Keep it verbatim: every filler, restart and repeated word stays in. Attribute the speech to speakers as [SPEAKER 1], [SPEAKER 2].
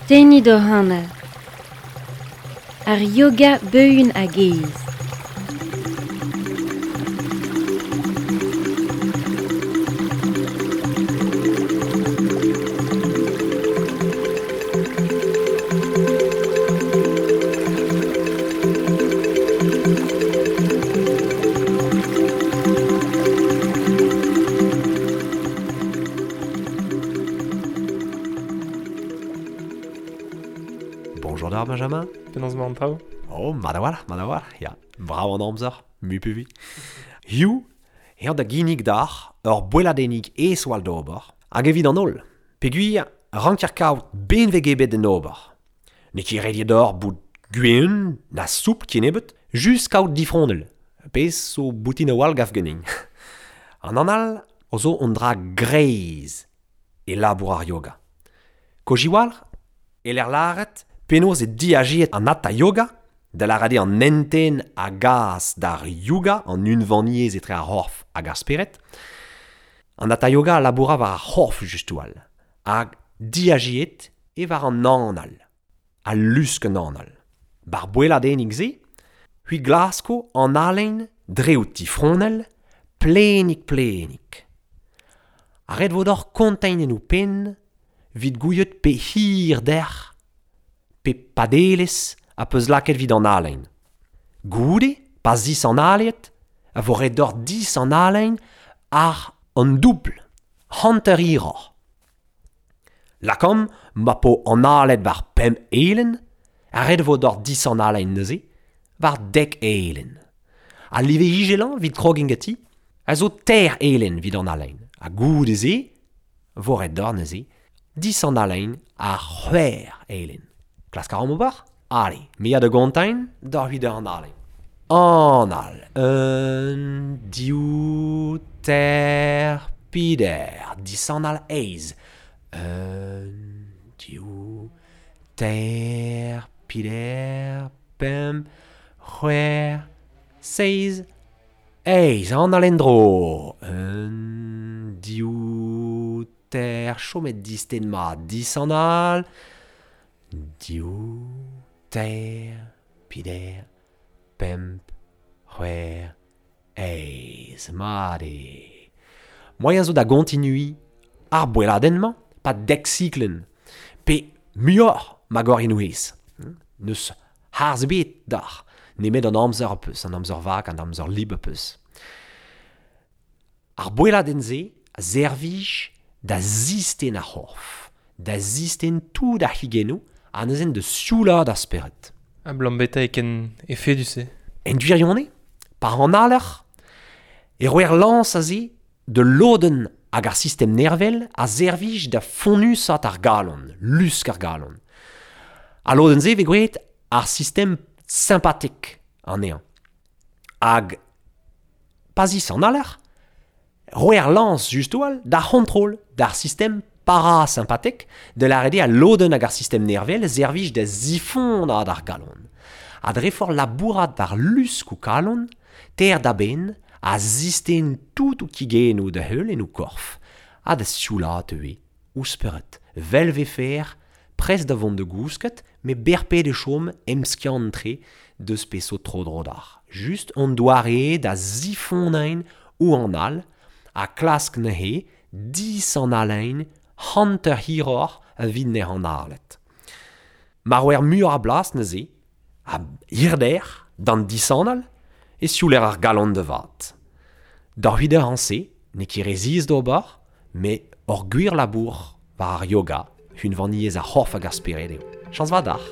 [SPEAKER 1] Tennit hoc'h anal. Ar yoga beun hag aes.
[SPEAKER 2] Bonjour d'ar, Benjamin.
[SPEAKER 3] Penaos emañ an traoù ?
[SPEAKER 2] Oh, mat a-walc'h, mat a-walc'h, ya. Brav an amzer, mui pe vui. Hiziv, eo da ginnig d'ar ur boelladennig aes oal d'ober, hag evit an holl. Peogwir ranker kaout benveg ebet d'en ober. N'eo ket ret eo deoc'h bout gwin, na soupl kennebeut, just kaout difronell. Pezh zo boutin a-walc'h gav ganin. An anal o zo un dra greiz e labour ar yoga. Kojiwalc'h, e l'er lâret penaos e diajiet an hatha yoga, da lâret eo an hentenn a gas d'ar yoga, an unvaniezh etre ar c'horf hag ar spered. An hatha yoga a laboura war ar c'horf just-all, hag diajiet e war an anal, al lusk an anal. Bar boelladennig-se, c'hwi glasko an halen dre ho tifronell, plenik-plenik. Ha ret vo deoc'h kontañ en ho penn evit gouiet pe hirder, pe padelezh a peus lakaet evit an halen. Goude, pa zis an haliet, a vo ret deoc'h dis an halen ar an doubl, hanter hiroc'h. Lakaomp ma po an halet war pemp elen, a ret vo deoc'h dis an halen neuze, war dek elen. Al live izellañ evit krogiñ ganti, a zo teir elen evit an halen. Ha goude-se, vo ret deoc'h neuze, dis an halen ar c'hwec'h elen. Klask a ran ober ? Allez, me ya da gontañ d'ar huit an halen. Anal, un, div, teir, peder, dis an al eizh. Un, div, teir, peder, pemp, c'hwec'h, seizh, eizh, anal en-dro. Un, div, teir, chomet disten mat, dis an al. Div, teir, peder, pemp, c'hwec'h, eizh, mat eo. Moaien zo da gontinuiñ ar boelladenn-mañ, pa dek siklenn, pe muioc'h ma gorrien ouez. N'eus harz ebet d'ar, nemet an amzer peus, an amzer vak, an amzer libr peus. Ar boelladenn-se a servij da zisten ar c'horf, da zisten tout ar c'higennoù, ha neuze da sioulaat ar spered.
[SPEAKER 3] Ha blam beta e ken efedus-se.
[SPEAKER 2] En gwirionez, pa an aler, e roer lañs aze de lodenn hag ar sistem nervel a servij da fonnusat ar galon, lusk ar galon. A lodenn-se vez gwraet ar sistem sympatek anezhañ. Hag pa zis an aler, roer lañs just-all d'ar c'hontrol d'ar sistem parasympatek, de lâret eo a lodenn hag ar sistem nervel servij da zifonnaat ar galon. Ha dre forzh labourat war lusk ho kalon, ter da benn a zisten tout ho kigennoù da heul en ho korf, ha da sioulaat ivez, ho spered, vel vefer, prest da vont da gousket, met berped e chom emskiant-tre deus peseurt tro-dro d'ar. Just an doare da zifonnañ ou an all, ha klask neuze dis an halen hanter hiroc'h evit ne an halet. Ma roer muioc'h a blas neuze, a hirder d'an disanal, e siouler ar galon da vat. D'ar huit an se, n'eo ket re ziaes d'ober, met ur gwir labour war ar yoga, unvaniezh ar c'horf hag ar spered eo. Chañs vat d'ac'h.